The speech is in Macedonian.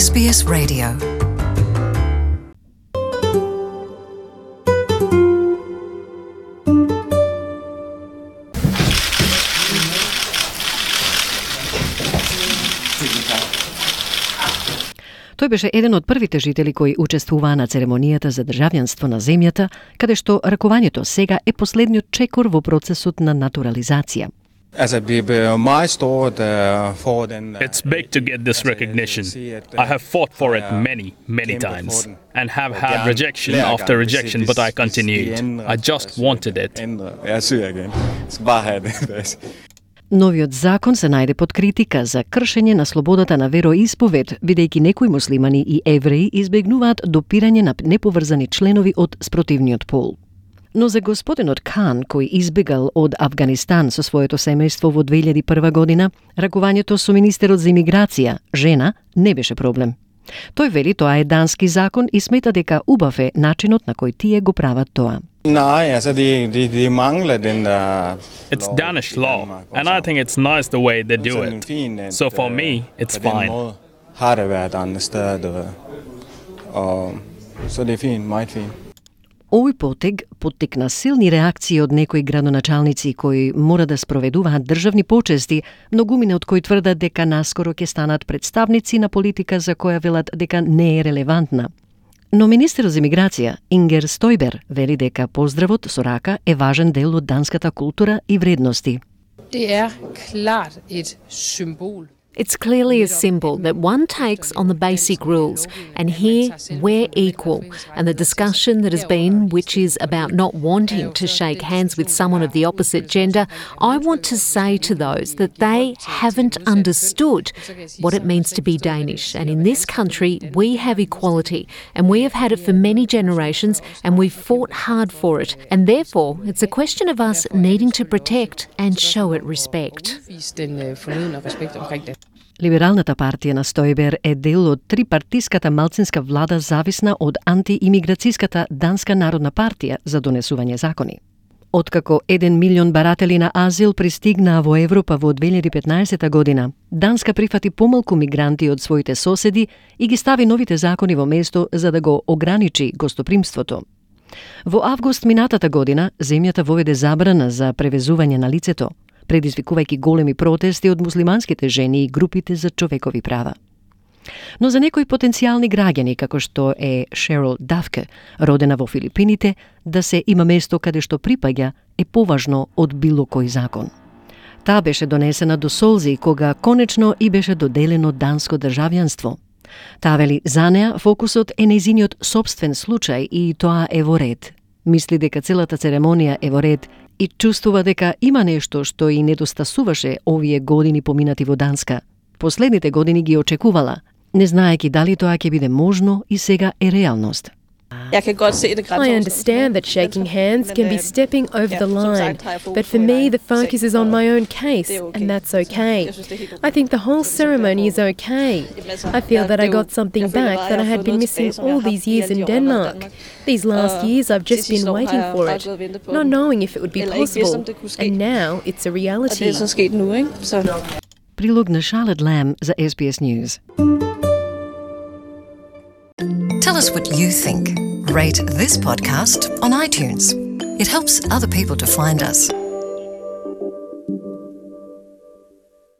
SBS Radio. Тој беше еден од првите жители кои учествуваа на церемонијата за државјанство на земјата, каде што ракувањето сега е последниот чекор во процесот на натурализација. It's big to get this recognition. I have fought for it many times and have had rejection after rejection, but I continued. I just wanted it. Новиот закон се најде под критика за кршење на слободата на вероисповед, бидејќи некои муслимани и евреи избегнуваат допирање на неповрзани членови од спротивниот пол. Но за господинот Кан, кој избегал од Авганистан со своето семејство во 2001 година, ракувањето со министерот за имиграција, жена, не беше проблем. Тој вели тоа е дански закон и смета дека убав е начинот на кој тие го прават тоа. It's Danish law, and I think it's nice the way they do it. So for me, it's fine. Овој потег поттикна силни реакции од некои градоначалници кои мора да спроведуваат државни почести, многумина од кои тврдат дека наскоро ќе станат представници на политика за која велат дека не е релевантна. Но министерот за имиграција, Ингер Стојбер, вели дека поздравот со рака е важен дел од данската култура и вредности. It's clearly a symbol that one takes on the basic rules, and here we're equal. And the discussion that has been, which is about not wanting to shake hands with someone of the opposite gender, I want to say to those that they haven't understood what it means to be Danish. And in this country, we have equality, and we have had it for many generations, and we've fought hard for it. And therefore, it's a question of us needing to protect and show it respect. Либералната партија на Стојбер е дел од трипартиската малцинска влада зависна од антиимиграцијската Данска народна партија за донесување закони. Откако 1 милион баратели на азил пристигнаа во Европа во 2015 година, Данска прифати помалку мигранти од своите соседи и ги стави новите закони во место за да го ограничи гостопримството. Во август минатата година, земјата воведе забрана за превезување на лицето, предизвикувајќи големи протести од муслиманските жени и групите за човекови права. Но за некои потенцијални граѓани, како што е Шерил Дафке, родена во Филипините, да се има место каде што припаѓа е поважно од било кој закон. Таа беше донесена до солзи кога конечно и беше доделено данско државјанство. Таа вели за неа фокусот е нејзиниот собствен случај и тоа е во ред. Мисли дека целата церемонија е во ред и чувствува дека има нешто што и недостасуваше овие години поминати во Данска. Последните години ги очекувала, не знаејќи дали тоа ќе биде можно и сега е реалност. I understand that shaking hands can be stepping over the line, but for me the focus is on my own case, and that's okay. I think the whole ceremony is okay. I feel that I got something back that I had been missing all these years in Denmark. These last years I've just been waiting for it, not knowing if it would be possible, and now it's a reality. Прилог на Charlotte Lamb за SBS News. Tell us what you think. Rate this podcast on iTunes. It helps other people to find us.